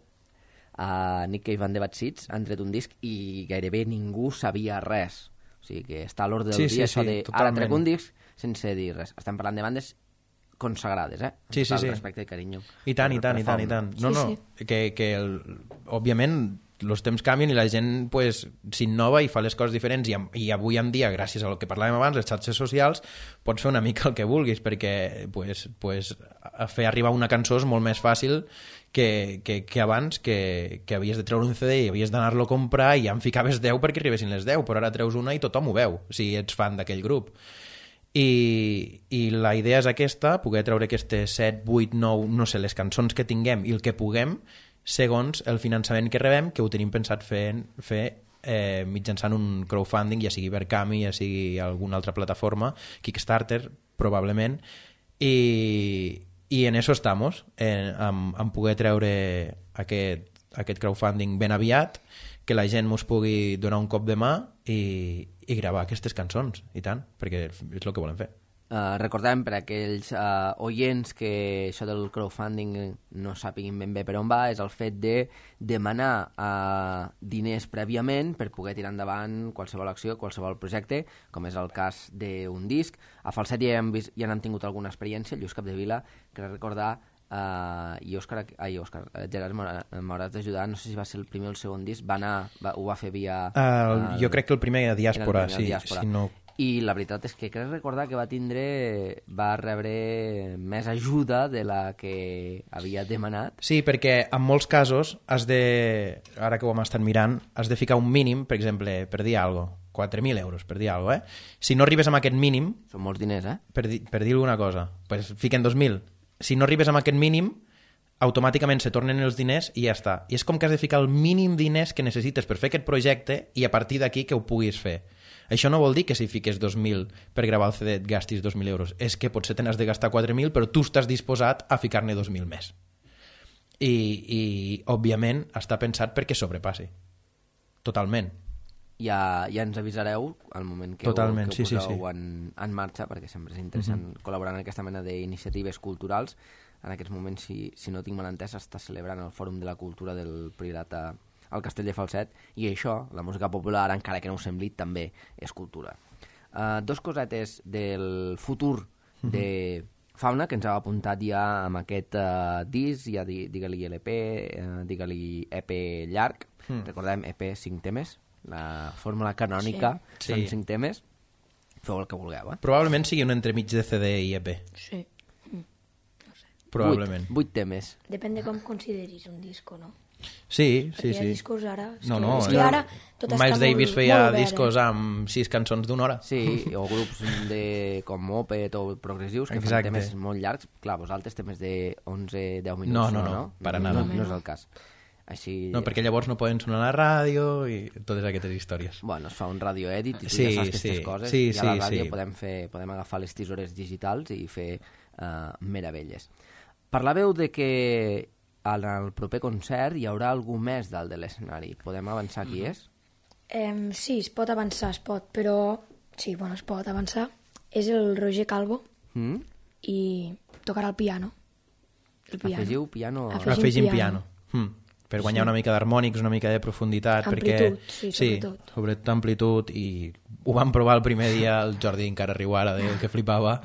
Nick Cave and the Bad Seeds han tret un disc i gairebé ningú sabia res. O sigui que està a l'ordre del Sí, dia sí, això sí, de ara totalment. trec un disc sense dir res. Estem parlant de bandes consagrades, Sí, sí, Amb sí. respecte i carinyo. I tant, i Per tant, i tant, i Fauna. tant. No, Sí, no, òbviament els temps canvien i la gent pues, s'innova i fa les coses diferents i avui en dia, gràcies a lo que parlàvem abans, les xarxes socials, pots fer una mica el que vulguis perquè a fer arribar una cançó és molt més fàcil que abans, que havies de treure un CD i havies d'anar-lo a comprar i ja en ficaves 10 perquè arribessin les 10, però ara treus una i tothom ho veu, si ets fan d'aquell grup. I la idea és aquesta, poder treure aquestes 7, 8, 9, no sé, les cançons que tinguem i el que puguem segons el finançament que rebem, que ho tenim pensat fer mitjançant un crowdfunding, ja sigui Verkami, ja sigui alguna altra plataforma, Kickstarter, probablement, i en eso estamos, en poder treure aquest crowdfunding ben aviat, que la gent mos pugui donar un cop de mà i gravar aquestes cançons, i tant, perquè és el que volem fer. Recordem per a aquells oients que això del crowdfunding no sàpiguin ben bé per on va, és el fet de demanar diners prèviament per poder tirar endavant qualsevol acció, qualsevol projecte, com és el cas d'un disc. A Falset ja n'hem tingut alguna experiència, Lluís Capdevila, crec recordar, i Gerard m'hauràs d'ajudar, no sé si va ser el primer o el segon disc, ho va fer via... Jo crec que el primer a Diàspora, sí. Diàspora. Si no... I la veritat és que crec recordar que va rebre més ajuda de la que havia demanat. Sí, perquè en molts casos has de, ara que ho hem estat mirant, has de ficar un mínim, per exemple, per dir alguna cosa, 4.000 euros, per dir alguna cosa, Si no arribes amb aquest mínim, Són molts diners, per dir alguna cosa, pues fiquen 2.000. Si no arribes amb aquest mínim, automàticament se tornen els diners i ja està. I és com que has de ficar el mínim diners que necessites per fer aquest projecte i a partir d'aquí que ho puguis fer. Això no vol dir que si fiques 2.000 per gravar el CD et gastis 2.000 euros. És que potser te n'has de gastar 4.000, però tu estàs disposat a ficar-ne 2.000 més. I òbviament, està pensat perquè sobrepassi. Totalment. Ja ens avisareu al moment que Totalment, ho poseu sí. en marxa, perquè sempre és interessant col·laborar en aquesta mena d'iniciatives culturals. En aquests moments, si no tinc mal entès, està celebrant el Fòrum de la Cultura del Priorat al Castell de Falset, i això, la música popular, encara que no ho sembli, també és cultura. Dos cosetes del futur de Fauna, que ens heu apuntat ja amb aquest disc, ja digue-li LP, digue-li EP llarg, recordem EP 5 temes, la fórmula canònica Sí. són 5 temes, feu el que vulgueu, eh? Probablement sigui un entremig de CD i EP. Sí. Probablement. 8 temes. Depèn de com consideris un disco, no? Sí, Perquè sí, hi ha sí. discos ara... No, ara tot està Miles Davis feia molt obert, discos amb 6 cançons d'una hora. Sí, o grups com Opet o progressius que Exacte. fan temes molt llargs. Clar, vosaltres temes de 11-10 minuts. No, para nada. No és el cas. Així... No, perquè llavors no poden sonar a la ràdio i totes aquestes històries. Bueno, es fa un radio edit i tu Sí, ja saps aquestes sí, coses sí, i a la sí, ràdio sí. podem agafar les tisores digitals i fer meravelles. Parlàveu de que en el proper concert hi haurà algú més dalt de l'escenari. Podem avançar qui és? Sí, es pot avançar, es pot, però... Sí, bueno, es pot avançar. És el Roger Calvo i tocarà el piano. El piano. Afegiu piano... Afegim piano. Per guanyar una mica d'harmònics, una mica de profunditat. Amplitud, perquè... sí, sobretot. Sobretot amplitud, i ho vam provar el primer dia, el Jordi encara riu ara del que flipava.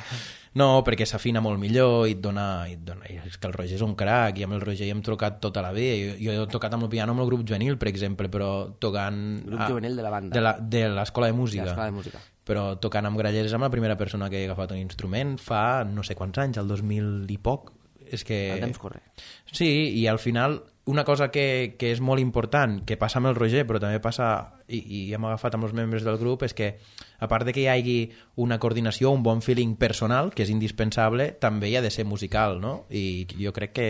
No, perquè s'afina molt millor i et dona... És que el Roger és un crac, i amb el Roger hi hem trucat tota la vida. Jo he tocat amb el piano amb el grup juvenil, per exemple, però tocant... Grup juvenil de la banda. De l'escola de música. De l'escola de música. Però tocant amb grallers amb la primera persona que he agafat un instrument fa no sé quants anys, el 2000 i poc. És que... El temps corre. Sí, i al final una cosa que és molt important, que passa amb el Roger, però també passa, i hem agafat amb els membres del grup, és que a part de que hi hagi una coordinació, un bon feeling personal, que és indispensable, també hi ha de ser musical, no? I jo crec que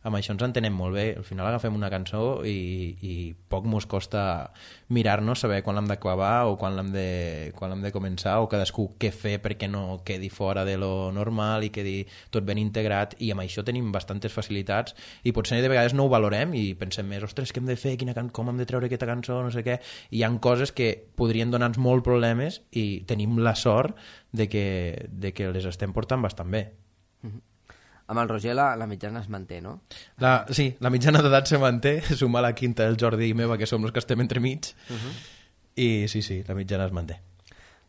amb això ens entenem molt bé. Al final agafem una cançó i poc mos costa mirar-nos, saber quan l'hem d'acabar o quan l'hem de començar, o cadascú què fer perquè no quedi fora de lo normal i quedi tot ben integrat, i amb això tenim bastantes facilitats, i potser de vegades no ho valorem i pensem més, ostres, què hem de fer, com hem de treure aquesta cançó, no sé què, i hi ha coses que podrien donar-nos molt problemes i tenim la sort de que les estem portant bastant bé. Amb el Roger la mitjana es manté, no? Sí, la mitjana d'edat se manté, suma la quinta del Jordi i meva, que som els que estem entremig, i sí, la mitjana es manté.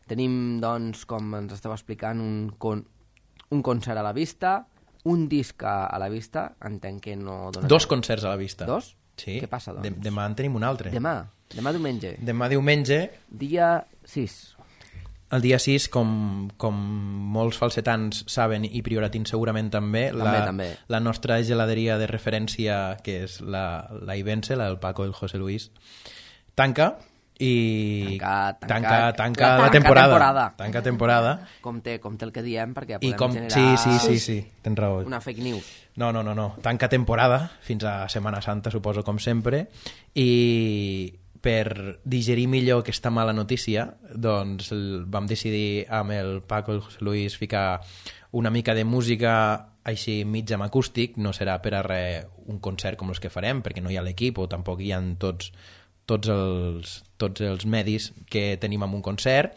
Tenim, doncs, com ens esteu explicant, un concert a la vista, un disc a la vista, entenc que no... 2 concerts a la vista. 2? Sí. Què passa, doncs? Demà en tenim un altre. Demà diumenge. Demà diumenge. Dia 6. El dia 6, com molts falsetans saben, i prioratins segurament també, també. La nostra geladeria de referència, que és la Ibense, la del Paco i el José Luis, tanca i tanca la temporada. Tanca temporada. Compte el que diem, perquè I podem generar... Sí, tens raó. Una fake news. No. Tanca temporada fins a Setmana Santa, suposo, com sempre, i per digerir millor aquesta mala notícia, doncs vam decidir amb el Paco i el José Luis ficar una mica de música així mig amb acústic. No serà per a res un concert com els que farem, perquè no hi ha l'equip o tampoc hi ha tots els medis que tenim en un concert,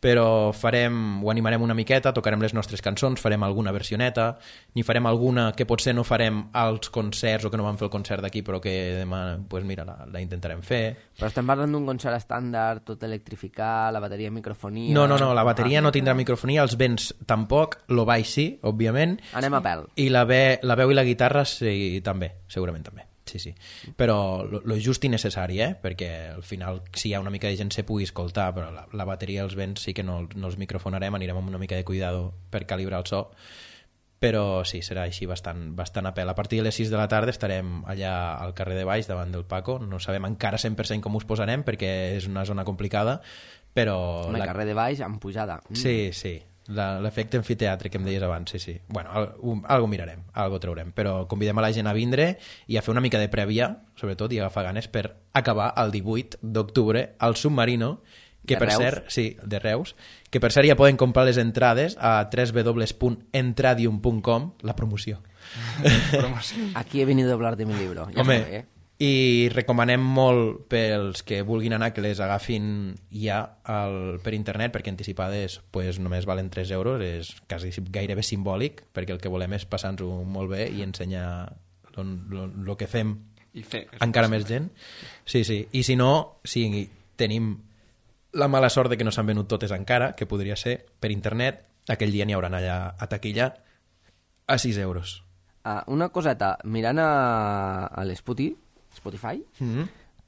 però ho animarem una miqueta, tocarem les nostres cançons, farem alguna versioneta, n'hi farem alguna que potser no farem als concerts o que no vam fer el concert d'aquí, però que demà, pues mira, la intentarem fer. Però estem parlant d'un concert estàndard, tot electrificat, la bateria, microfonia... No, la bateria no tindrà microfonia, els vents tampoc, lo baix sí, òbviament. Anem a pèl. I la veu i la guitarra sí, també, segurament també. Sí. Però lo just i necessari, perquè al final, si hi ha una mica de gent, se pugui escoltar, però la bateria i els vents sí que no els microfonarem, anirem amb una mica de cuidado per calibrar el so, però sí, serà així bastant a pèl. A partir de les 6 de la tarda estarem allà al carrer de baix, davant del Paco. No sabem encara 100% com us posarem, perquè és una zona complicada, però... El carrer de baix amb pujada. Sí. L'efecte amfiteatre que em deies abans, sí. Bueno, algo mirarem, algo traurem, però convidem a la gent a vindre i a fer una mica de prèvia, sobretot, i agafar ganes per acabar el 18 d'octubre al Submarino, que per cert, sí, de Reus, que per cert ja poden comprar les entrades a www.entradium.com, la promoció. Aquí he venido a hablar de mi libro. Ja Home, i recomanem molt pels que vulguin anar que les agafin ja per internet, perquè anticipades pues, només valen 3 euros, és quasi gairebé simbòlic, perquè el que volem és passar-nos-ho molt bé i ensenyar el que fem i fer encara més gent. Sí. I si no, si tenim la mala sort de que no s'han venut totes encara, que podria ser per internet, aquell dia n'hi hauran allà a taquilla a 6 euros. Una coseta, mirant a Spotify,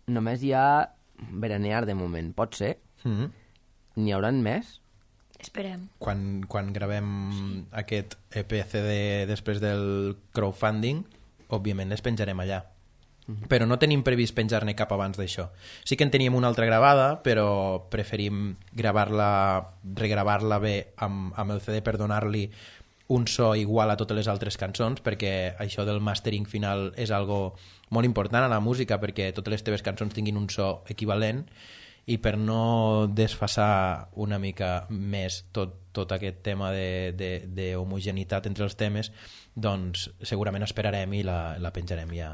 només hi ha Veranear de moment. Pot ser? N'hi hauran més? Esperem. Quan gravem aquest EP-CD després del crowdfunding, òbviament les penjarem allà. Però no tenim previst penjar-ne cap abans d'això. Sí que en teníem una altra gravada, però preferim regravar-la bé amb el CD per donar-li un so igual a totes les altres cançons, perquè això del mastering final és algo molt important a la música, perquè totes les teves cançons tinguin un so equivalent, i per no desfasar una mica més tot aquest tema d'homogeneïtat entre els temes, doncs segurament esperarem i la penjarem ja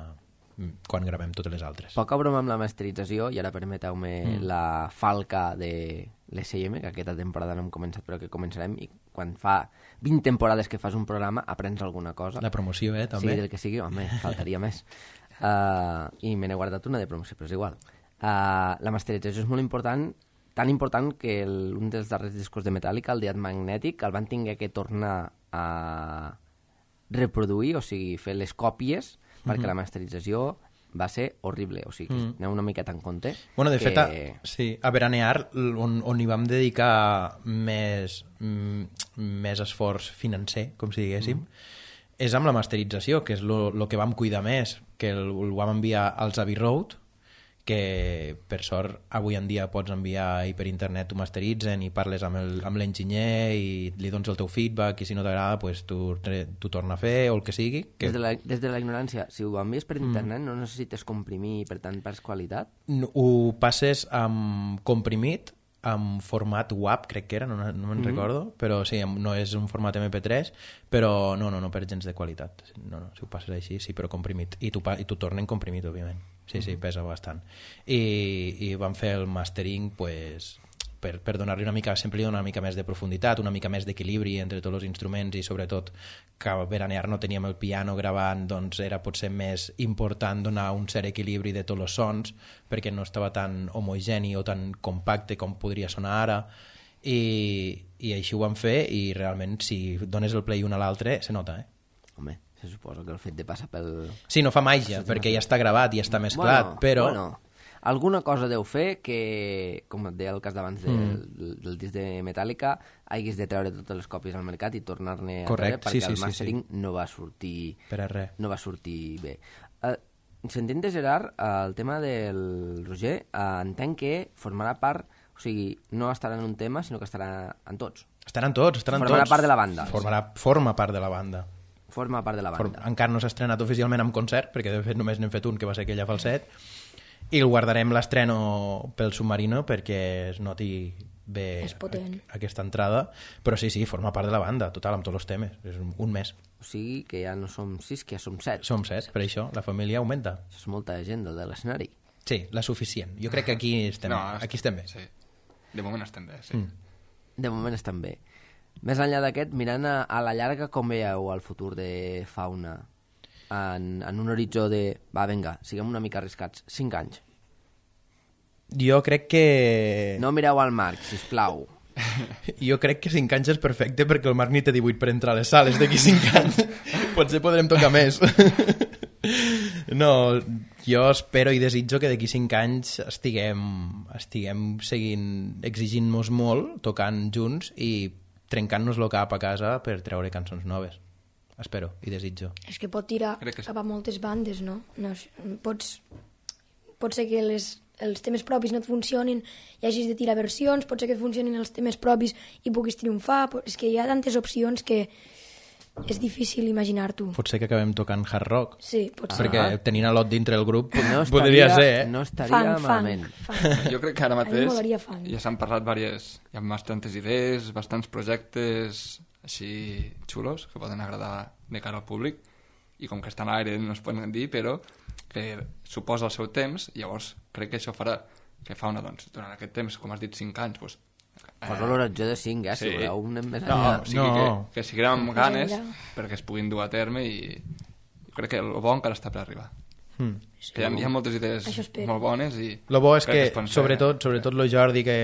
quan gravem totes les altres. Poca broma amb la masterització, i ara permeteu-me la falca de l'SM, que aquesta temporada no hem començat però que començarem, i quan fa 20 temporades que fas un programa aprens alguna cosa. La promoció, també. Sí, del que sigui, home, faltaria més. I me n'he guardat una de promoció, però és igual. La masterització és molt important, tan important que un dels darrers discos de Metallica, el Death Magnetic, el van tinguer que tornar a reproduir, o sigui, fer les còpies, perquè la masterització va ser horrible, o sigui, aneu una miqueta en compte. Bueno, de fet, a Veranear, on hi vam dedicar més esforç financer, com si diguéssim, és amb la masterització, que és el que vam cuidar més, que el vam enviar als Abbey Road, que per sort avui en dia pots enviar i per internet t'ho masteritzen i parles amb l'enginyer i li dones el teu feedback, i si no t'agrada pues, t'ho torna a fer o el que sigui. Des de la ignorància, si ho envies per internet no necessites comprimir i per tant perds qualitat? Ho passes amb comprimit, amb format WAV, crec que era, no me'n recordo, però sí, no és un format MP3, però no per gens de qualitat. No, si ho passes així, sí, però comprimit. I t'ho tornen comprimit, òbviament. Sí, pesa bastant. I vam fer el mastering, pues, per donar-li una mica, sempre li dona una mica més de profunditat, una mica més d'equilibri entre tots els instruments, i sobretot que a Veranear no teníem el piano gravant, doncs era potser més important donar un cert equilibri de tots els sons, perquè no estava tan homogeni o tan compacte com podria sonar ara, i així ho vam fer, i realment si dones el play un a l'altre se nota, Home, se suposa que el fet de passar pel... Sí, no fa màgia, perquè ja està gravat, ja està mesclat, però... Bueno, alguna cosa deu fer que, com et deia el cas d'abans del disc de Metallica, haguis de treure totes les còpies al mercat i tornar-ne a treure, perquè el mastering no va sortir... Per a res. No va sortir bé. Sentint de Gerard, el tema del Roger, entenc que formarà part, o sigui, no estarà en un tema, sinó que estarà en tots. Estaran tots. Formarà part de la banda. Forma part de la banda. Forma part de la banda. Encara no s'ha estrenat oficialment amb concert, perquè de fet només n'hem fet un, que va ser aquella falset, i el guardarem l'estreno pel Submarino perquè es noti bé aquesta entrada, però sí, forma part de la banda, total, amb tots els temes, és un mes. O sigui que ja no som 6, que ja som 7. Som 7, per això la família augmenta. Això és molta gent de l'escenari. Sí, la suficient. Jo crec que aquí estem bé. Sí. De moment estem bé, sí. De moment estem bé. Més enllà d'aquest, mirant a la llarga, com veieu el futur de Fauna? En un horitzó de... Va, vinga, siguem una mica arriscats. 5 anys. Jo crec que... No mireu al Marc, sisplau. Jo crec que 5 anys és perfecte, perquè el Marc ni té 18 per entrar a les sales d'aquí 5 anys. Potser podrem tocar més. No, jo espero i desitjo que d'aquí 5 anys estiguem seguint, exigint-nos molt, tocant junts i trencant-nos el cap a casa per treure cançons noves. Espero i desitjo. És que pot tirar cap a moltes bandes, no? Pot ser que els temes propis no et funcionin i hagis de tirar versions, pot ser que et funcionin els temes propis i puguis triomfar. És que hi ha tantes opcions que és difícil imaginar-t'ho. Pot ser que acabem tocant hard rock. Sí, pot ser. Perquè tenint a Lot dintre el grup podria ser, No estaria malament. Jo crec que ara mateix ja s'han parlat hi ha bastantes idees, bastants projectes així xulos que poden agradar de cara al públic, i com que estan a l'aire no es poden dir, però que suposa el seu temps, llavors crec que això farà que Fauna, doncs, durant aquest temps, com has dit, 5 anys, doncs, posa l'horitzó de 5, si voleu un més enllà. enllà. O sigui que seguirem amb ganes perquè es puguin dur a terme, i crec que el bo encara està per arribar. Que hi ha moltes idees molt bones, i el bo és que sobretot el Jordi, que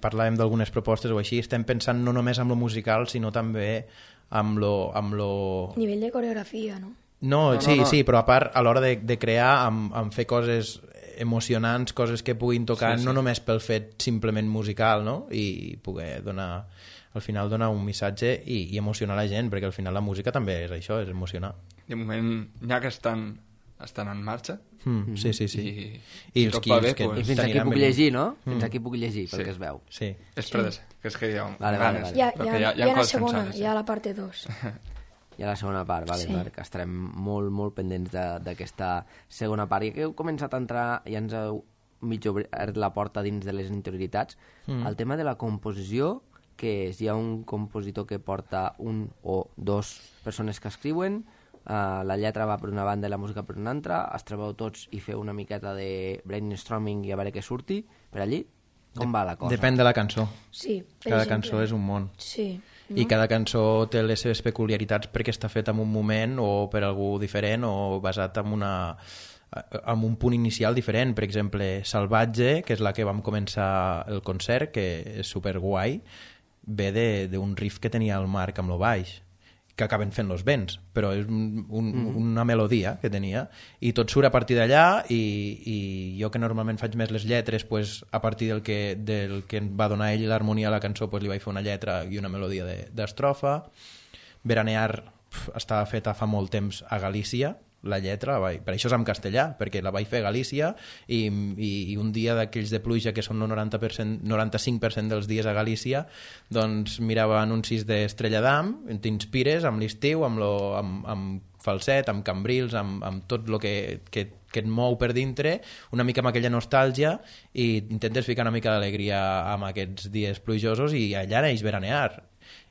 parlàvem d'algunes propostes o així, estem pensant no només amb lo musical, sinó també amb lo... nivell de coreografia, no? No, sí, però a part, a l'hora de crear, amb fer coses emocionants, coses que puguin tocar no només pel fet simplement musical, no? I poder donar, al final donar un missatge i emocionar la gent, perquè al final la música també és això, és emocionar. De moment ja que estan en marxa. Sí. I els tot va bé, que I fins aquí puc llegir, no? Fins aquí puc llegir, pel que es veu. Sí. És que és que hi ha Vale. Hi ha la segona, hi ha la part 2. Hi ha la segona part, vale, Sí. que estarem molt pendents d'aquesta segona part. I que heu començat a entrar, ja ens heu mig obert la porta dins de les interioritats. El tema de la composició, que és, hi ha un compositor que porta un o dos persones que escriuen, la lletra va per una banda i la música per una altra, es trobeu tots i feu una miqueta de brainstorming i a veure què surti per allí? Com va la cosa? Depèn de la cançó. Sí, per Cada exemple. cançó és un món. Sí. I cada cançó té les seves peculiaritats perquè està feta en un moment o per algú diferent o basat en un punt inicial diferent. Per exemple, Salvatge, que és la que vam començar el concert, que és superguai, ve d'un riff que tenia el Marc amb lo baix, que acaben fent los vents, però és una melodia que tenia, i tot surt a partir d'allà, i jo que normalment faig més les lletres, pues, a partir del que va donar ell l'harmonia a la cançó, pues, li vaig fer una lletra i una melodia d'estrofa. Veranear estava feta fa molt temps a Galícia, la lletra, per això és en castellà, perquè la vaig fer a Galícia i un dia d'aquells de pluja que són el 95% dels dies a Galícia, doncs mirava anuncis d'Estrella d'Am, t'inspires amb l'estiu, amb falset, amb cambrils, amb tot el que et mou per dintre, una mica amb aquella nostàlgia, i intentes ficar una mica d'alegria amb aquests dies plujosos, i allà neix Veranear.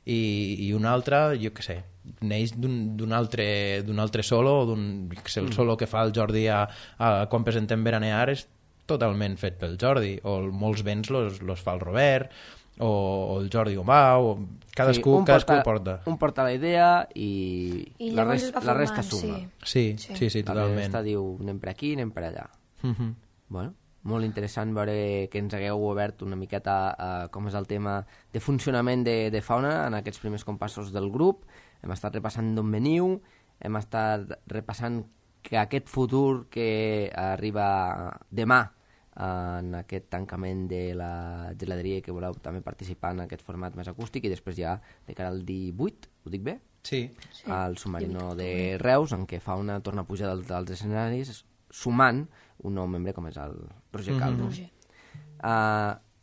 I un altre, jo què sé, neix d'un altre solo, el solo que fa el Jordi quan presentem Veranear és totalment fet pel Jordi, o molts vents los fa el Robert, o el Jordi Omà, o cadascú porta. Un porta la idea i la resta suma. Sí, totalment. La resta diu, anem per aquí, anem per allà. Bueno, molt interessant veure que ens hagueu obert una miqueta com és el tema de funcionament de Fauna en aquests primers compassos del grup. Hem estat repassant d'on veniu, hem estat repassant que aquest futur que arriba demà en aquest tancament de la geladeria, que voleu també participar en aquest format més acústic, i després ja de cara al 18, ho dic bé? Sí. Al Submarino de Reus, en què Fauna torna a pujar dels escenaris, sumant un nou membre com és el Roger Calvo.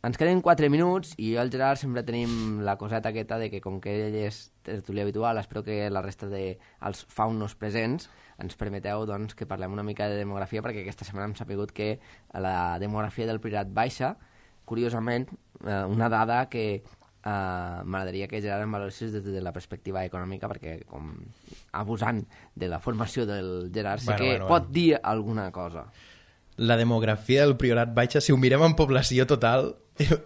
Ens queden 4 minuts i jo i el Gerard sempre tenim la coseta aquesta de que com que ell és tertulià habitual, espero que la resta dels faunos presents ens permeteu doncs, que parlem una mica de demografia, perquè aquesta setmana hem sapigut que la demografia del Priorat baixa. Curiosament, una dada que m'agradaria que Gerard em valoressis des de la perspectiva econòmica, perquè com abusant de la formació del Gerard sé que pot dir alguna cosa. La demografia del Priorat baixa, si ho mirem en població total,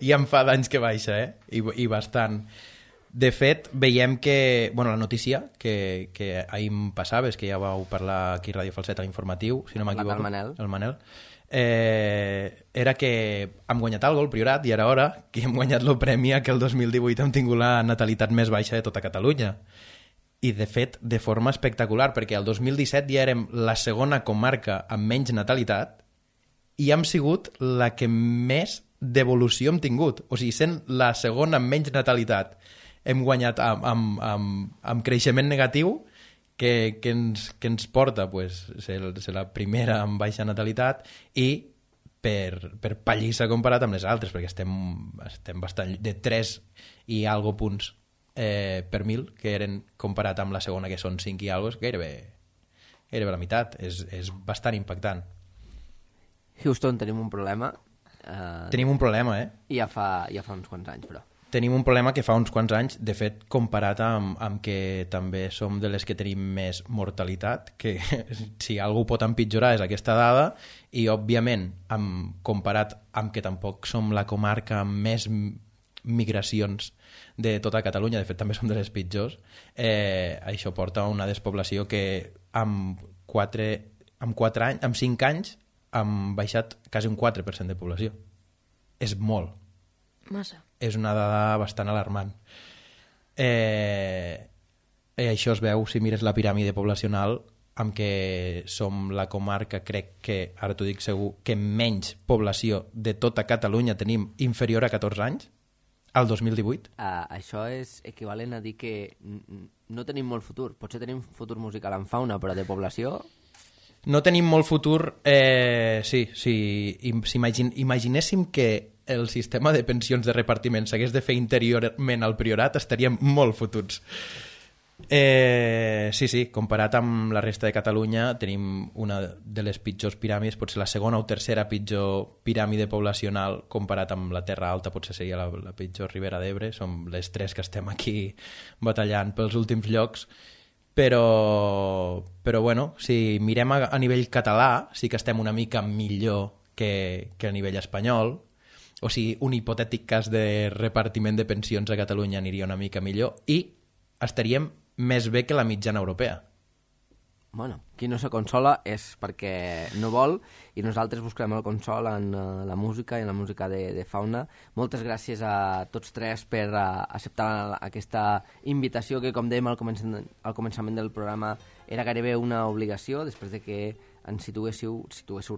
ja en fa d'anys que baixa, i bastant. De fet, veiem que, la notícia que ahir em passaves, que ja vau parlar aquí a Ràdio Falset a l'informatiu, si no m'equivoco, el Manel, era que hem guanyat algo el Priorat, i era hora que hem guanyat el premi que el 2018 hem tingut la natalitat més baixa de tota Catalunya. I, de fet, de forma espectacular, perquè el 2017 ja érem la segona comarca amb menys natalitat i hem sigut la que més devolució hem tingut. O sigui, sent la segona amb menys natalitat, hem guanyat amb creixement negatiu que ens porta ser la primera amb baixa natalitat i per pallissa comparat amb les altres, perquè estem bastant de 3 i algo punts per 1.000, que eren comparat amb la segona, que són 5 i algo, és gairebé la meitat. És bastant impactant. Houston, tenim un problema. Tenim un problema, I ja fa uns quants anys, però. Tenim un problema que fa uns quants anys, de fet, comparat amb que també som de les que tenim més mortalitat, que si algú pot empitjorar és aquesta dada, i, òbviament, comparat amb que tampoc som la comarca amb més migracions de tota Catalunya, de fet, també som de les pitjors, això porta a una despoblació que amb 5 anys hem baixat quasi un 4% de població. És molt. Massa. És una dada bastant alarmant. Això es veu, si mires la piràmide poblacional, amb què som la comarca, crec que, ara t'ho dic segur, que menys població de tota Catalunya tenim inferior a 14 anys, al 2018. Això és equivalent a dir que no tenim molt futur. Potser tenim futur musical en fauna, però de població... No tenim molt futur, imaginéssim que el sistema de pensions de repartiment s'hagués de fer interiorment al Priorat, estaríem molt fututs. Sí, comparat amb la resta de Catalunya tenim una de les pitjors piràmides, potser la segona o tercera pitjor piràmide poblacional, comparat amb la Terra Alta potser seria la pitjor Ribera d'Ebre. Som les tres que estem aquí batallant pels últims llocs, però bueno, si mirem a nivell català sí que estem una mica millor que a nivell espanyol. O sigui, un hipotètic cas de repartiment de pensions a Catalunya aniria una mica millor i estaríem més bé que la mitjana europea. Bueno, qui no se consola és perquè no vol, i nosaltres buscarem el consol en la música i en la música de fauna. Moltes gràcies a tots tres per acceptar aquesta invitació que, com dèiem al començament del programa, era gairebé una obligació, després de que ens situéssiu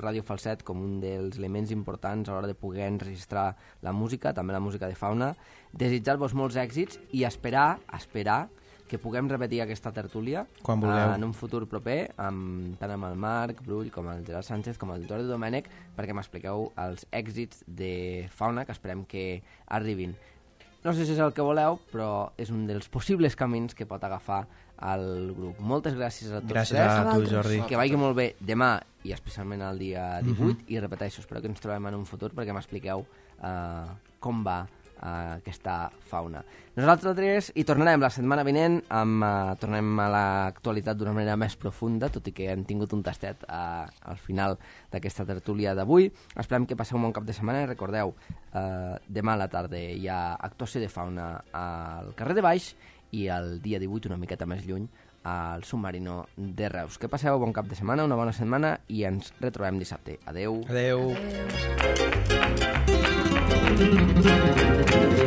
Ràdio Falset com un dels elements importants a l'hora de poder enregistrar la música, també la música de fauna. Desitjar-vos molts èxits i esperar que puguem repetir aquesta tertúlia en un futur proper, tant amb el Marc Brull com el Gerard Sánchez com el Jordi Domènech, perquè m'expliqueu els èxits de fauna que esperem que arribin. No sé si és el que voleu, però és un dels possibles camins que pot agafar el grup. Moltes gràcies a tots. Gràcies a tu, Jordi. Que vagi molt bé demà i especialment el dia 18 i repeteixo, espero que ens trobem en un futur perquè m'expliqueu com va aquesta fauna. Nosaltres hi tornarem la setmana vinent, tornem a l'actualitat d'una manera més profunda, tot i que hem tingut un tastet al final d'aquesta tertúlia d'avui. Esperem que passeu un bon cap de setmana i recordeu, demà a la tarda hi ha actuació de fauna al carrer de Baix i el dia 18, una miqueta més lluny, al Submarino de Reus. Que passeu bon cap de setmana, una bona setmana i ens retrobem dissabte. Adeu. Adeu. Adeu.